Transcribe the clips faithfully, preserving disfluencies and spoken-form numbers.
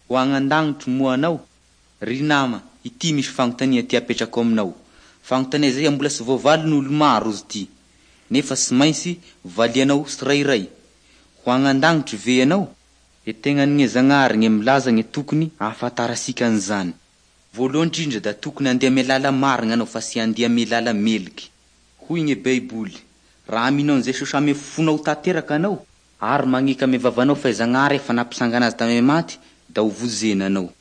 Ho agny an-dagnitry moa anao? Ry nama, ity misy fanontania ty apetrako aminao. Fanontania zay mbola tsy voavalin'olo maro izy ity, nefa tsy maintsy valianao tsirairay. Ho agny an-dagnitry ve ianao? E tegnan'gne Zagnahary gne milaza gne tokony ahafantarasika an'izany. Voalohany indrindra da tokony andeha ame lala marina anao fa tsy andeha ame lala meliky. Hoy gne Baiboly, raha mino an'i Jesosy ame fonao tanteraka anao ary magneky ame vavanao fa i Zagnahary efa nampisangana azy tame maty da ho vonjena anao.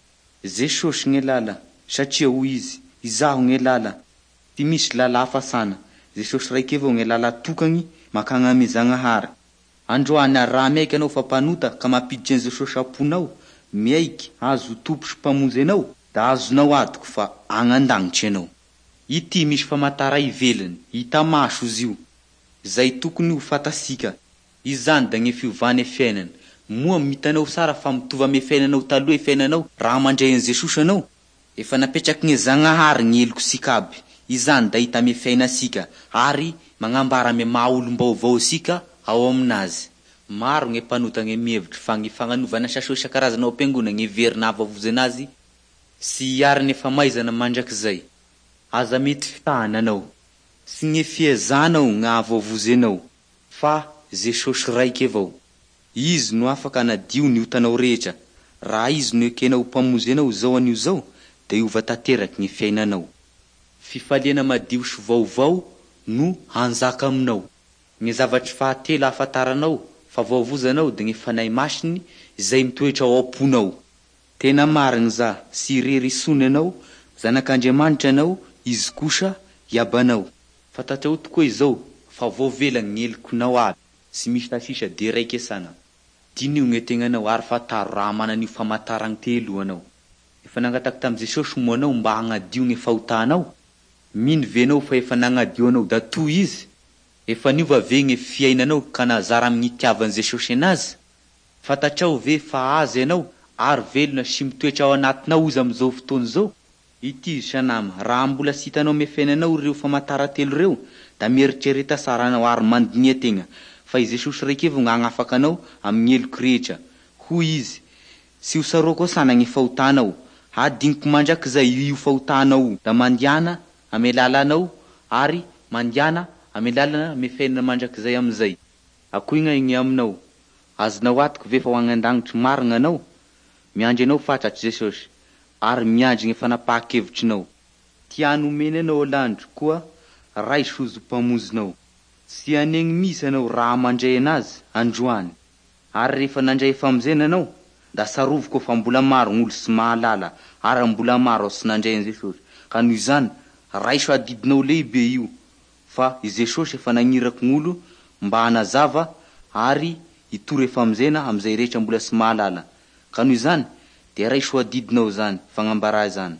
Jesosy gne lala, satria hoy izy, izaho gne lala, tsy misy lala hafa sana, Jesosy raiky avao gne lala tokany makagny ame Zagnahary. Androany ary raha miaiky anao fa mpanota ka mampiditry an'i Jesosy am-ponao, miaiky azy ho tompo sy mpamonjy anao, da azonao antoky fa agny an-dagnitry ianao. Ity misy famantara ivelany, hita maso izy io, zay tokony ho fantatsika. Izany da gne fiovan'ny fiainana. Moa hitanao tsara fa mitovy ame fiainanao taloha e fiainanao raha mandray an'i Jesosy anao? Efa napetraky gne Zagnahary ny helokosika aby. Izany da hita ame fiainantsika ary magnambara ame maha olom-baovao asika ao aminazy. Maro gne mpanota gne mihevitry fa ny fagnanovana asa soa isan-karazany ao am-piangona gne heverina hahavoavonjy anazy sy hiarany famaizana mandrakizay. Aza mety fitahana anao. Tsy gne fiezanao gny hahavoavonjy anao fa Jesosy raiky avao. Izy no afaka hanadio ny otanao rehetra. Raha izy no ekenao ho mpamonjy anao izao anio izao da hiova tanteraky ny fiainanao. Fifaliana madio sy vaovao no hanjaka aminao. Ny zavatry fahatelo ahafantaranao fa voavonjy anao da ny Fanahy Masiny izay mitoetra ao am-ponao. Tena marina za, tsy irery intsony ianao, zanak'Andriamanitra ianao, izy kosa iabanao. Fantatrao tokoa izao fa voavela ny helokinao aby, tsy misy sasisa de raiky sana. Diniho ny tegnanao ary fantaro raha manan'io famantarany telo io anao. Efa nangataky tamin'i Jesosy moa anao mba hagnadio ny fahotanao? Mino ve anao fa efa nagnadio anao da toy izy? Efa niova ve ny fiainanao ka nazara amin'ny itiavan'i Jesosy anazy? Fantatrao ve fa azy ianao ary velona sy mitoetra ao anatinao izy amin'izao fotoana izao? Ity izy sanama, raha mbola tsy hitanao ame fiainanao ireo famantara telo ireo, da mieritrereta tsara anao ary mandinia tegna fa i Jesosy raiky avao no hagnafaka anao amin'ny heloky rehetra. Hoy izy, tsy ho tsaroako sana ny fahotanao, hadiniko mandrakizay io fahotanao io. Da mandiana ame lalanao ary mandiana ame lalana ame fiainana mandrakizay amizay. Akoy gn'aigny aminao, azonao antoky ve fa ho agny an-dagnitry marina anao? Miandry anao fatratsy Jesosy ary miandry ny fanapahan-kevitrinao. Tiany omeny anao landro koa raiso izy ho mpamonjinao. Tsy hanegny mihitsy anao raha mandray anazy androany. Ary rehefa nandray famonjena anao, da tsarovy koa fa mbola maro ny olo tsy mahalala ary mbola maro tsy nandray an'i Jesosy. Ka noho izany, raiso adidinao lehibe io fa i Jesosy efa nagniraky gn'olo mba hanazava ary hitory famonjena amin'izay rehetra mbola tsy mahalala. Ka noho izany, de raiso adidinao zany fagnambarà zany.